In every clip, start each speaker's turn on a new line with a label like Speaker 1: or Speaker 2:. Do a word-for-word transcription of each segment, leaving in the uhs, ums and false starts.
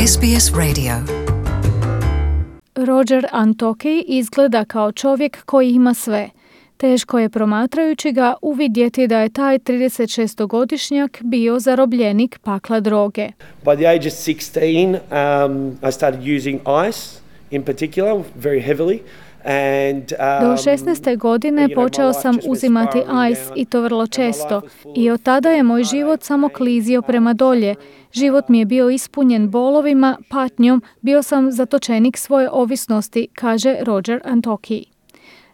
Speaker 1: S B S Radio.
Speaker 2: Roger Antoki izgleda kao čovjek koji ima sve. Teško je promatrajući ga uvidjeti da je taj tridesetšestogodišnjak bio zarobljenik pakla droge.
Speaker 3: By the age of sixteen, um, I started using ice in particular, very heavily. And, um,
Speaker 2: Do šesnaeste godine počeo sam uzimati ice i to vrlo često. I od tada je moj život samo klizio prema dolje. Život mi je bio ispunjen bolovima, patnjom, bio sam zatočenik svoje ovisnosti, kaže Roger Antoki.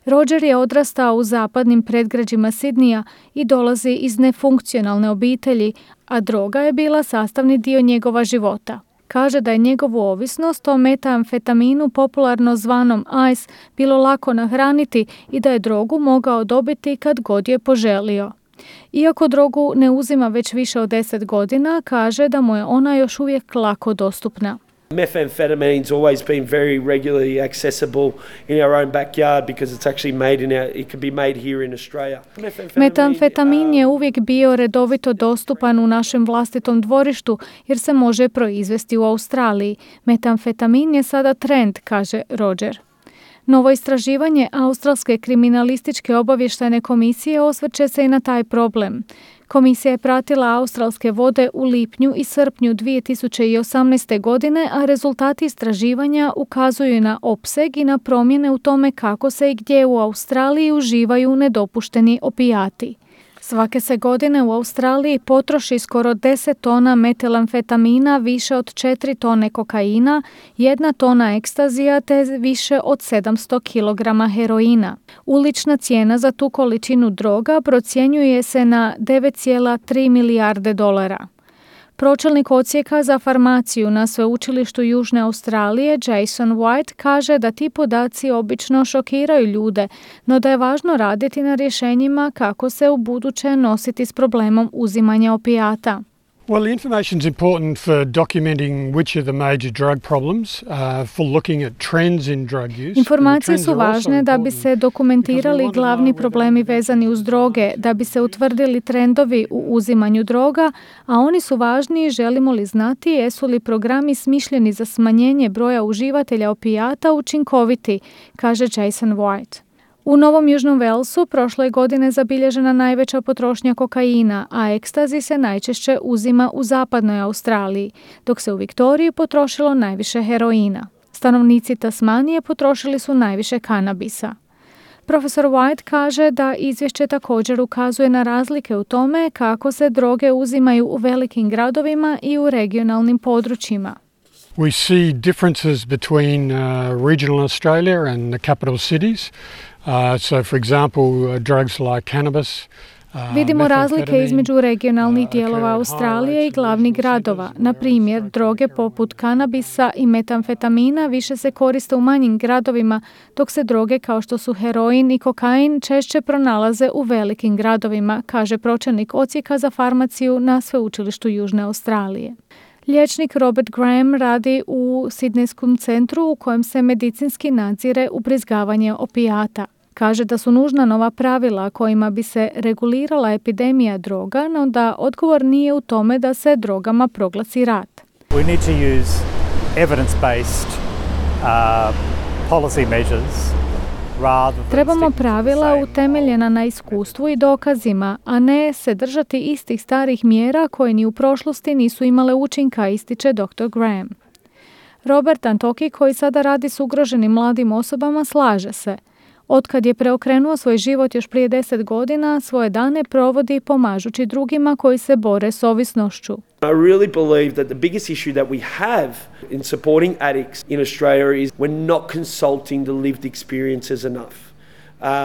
Speaker 2: Roger je odrastao u zapadnim predgrađima Sidneya i dolazi iz nefunkcionalne obitelji, a droga je bila sastavni dio njegova života. Kaže da je njegovu ovisnost o metamfetaminu, popularno zvanom ice, bilo lako nahraniti i da je drogu mogao dobiti kad god je poželio. Iako drogu ne uzima već više od deset godina, kaže da mu je ona još uvijek lako dostupna.
Speaker 3: Methamphetamine's always been very regularly accessible in our own backyard because it's actually made in our, it can be made here in Australia.
Speaker 2: Metamfetamin je uvijek bio redovito dostupan u našem vlastitom dvorištu jer se može proizvesti u Australiji. Metamfetamin je sada trend, kaže Roger. Novo istraživanje Australske kriminalističke obavještajne komisije osvrće se i na taj problem. Komisija je pratila australske vode u lipnju i srpnju dvije tisuće osamnaeste. godine, a rezultati istraživanja ukazuju na opseg i na promjene u tome kako se i gdje u Australiji uživaju nedopušteni opijati. Svake se godine u Australiji potroši skoro deset tona metilamfetamina, više od četiri tone kokaina, jedna tona ekstazija te više od sedamsto kilograma heroina. Ulična cijena za tu količinu droga procjenjuje se na devet zarez tri milijarde dolara. Pročelnik odsjeka za farmaciju na Sveučilištu Južne Australije, Jason White, kaže da ti podaci obično šokiraju ljude, no da je važno raditi na rješenjima kako se u buduće nositi s problemom uzimanja opijata.
Speaker 4: Well, the information is important for documenting which are the major drug problems, uh, for looking at trends in drug use.
Speaker 2: Informacije su važne da bi se dokumentirali glavni problemi vezani uz droge, da bi se utvrdili trendovi u uzimanju droga, a oni su važni želimo li znati jesu li programi smišljeni za smanjenje broja uživatelja opijata učinkoviti, kaže Jason White. U Novom Južnom Walesu prošle godine zabilježena najveća potrošnja kokaina, a ekstazi se najčešće uzima u zapadnoj Australiji, dok se u Viktoriji potrošilo najviše heroina. Stanovnici Tasmanije potrošili su najviše kanabisa. Profesor White kaže da izvješće također ukazuje na razlike u tome kako se droge uzimaju u velikim gradovima i u regionalnim područjima.
Speaker 4: We see differences between uh, regional Australia and the capital cities. Uh, so, for example, uh, drugs like cannabis. Uh,
Speaker 2: Vidimo razlike između regionalnih dijelova Australije i glavnih gradova. Na primjer, droge poput kanabisa i metamfetamina više se koriste u manjim gradovima, dok se droge kao što su heroin i kokain češće pronalaze u velikim gradovima, kaže pročelnik odsjeka za farmaciju na Sveučilištu Južne Australije. Liječnik Robert Graham radi u Sidnejskom centru u kojem se medicinski nadzire ubrizgavanje opijata. Kaže da su nužna nova pravila kojima bi se regulirala epidemija droga, no da odgovor nije u tome da se drogama proglasi rat.
Speaker 5: We need to use evidence-based uh, policy measures.
Speaker 2: Trebamo pravila utemeljena na iskustvu i dokazima, a ne se držati istih starih mjera koje ni u prošlosti nisu imale učinka, ističe doktor Graham. Robert Antoki, koji sada radi s ugroženim mladim osobama, slaže se. Otkad je preokrenuo svoj život još prije deset godina, svoje dane provodi pomažući drugima koji se bore s ovisnošću.
Speaker 3: I really believe that the biggest issue that we have in supporting addicts in Australia is we're not consulting the lived experiences enough.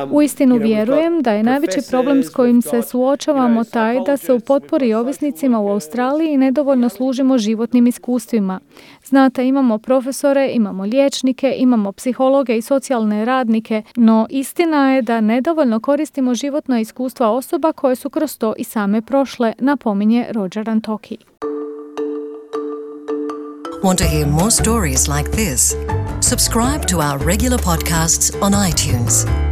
Speaker 3: Um,
Speaker 2: Uistinu vjerujem da je najveći problem s kojim se suočavamo taj da se u potpori ovisnicima u Australiji nedovoljno služimo životnim iskustvima. Znate, imamo profesore, imamo liječnike, imamo psihologe i socijalne radnike, no istina je da nedovoljno koristimo životna iskustva osoba koje su kroz to i same prošle, napominje Roger Antoki.
Speaker 1: Want to hear more stories like this? Subscribe to our regular podcasts on iTunes.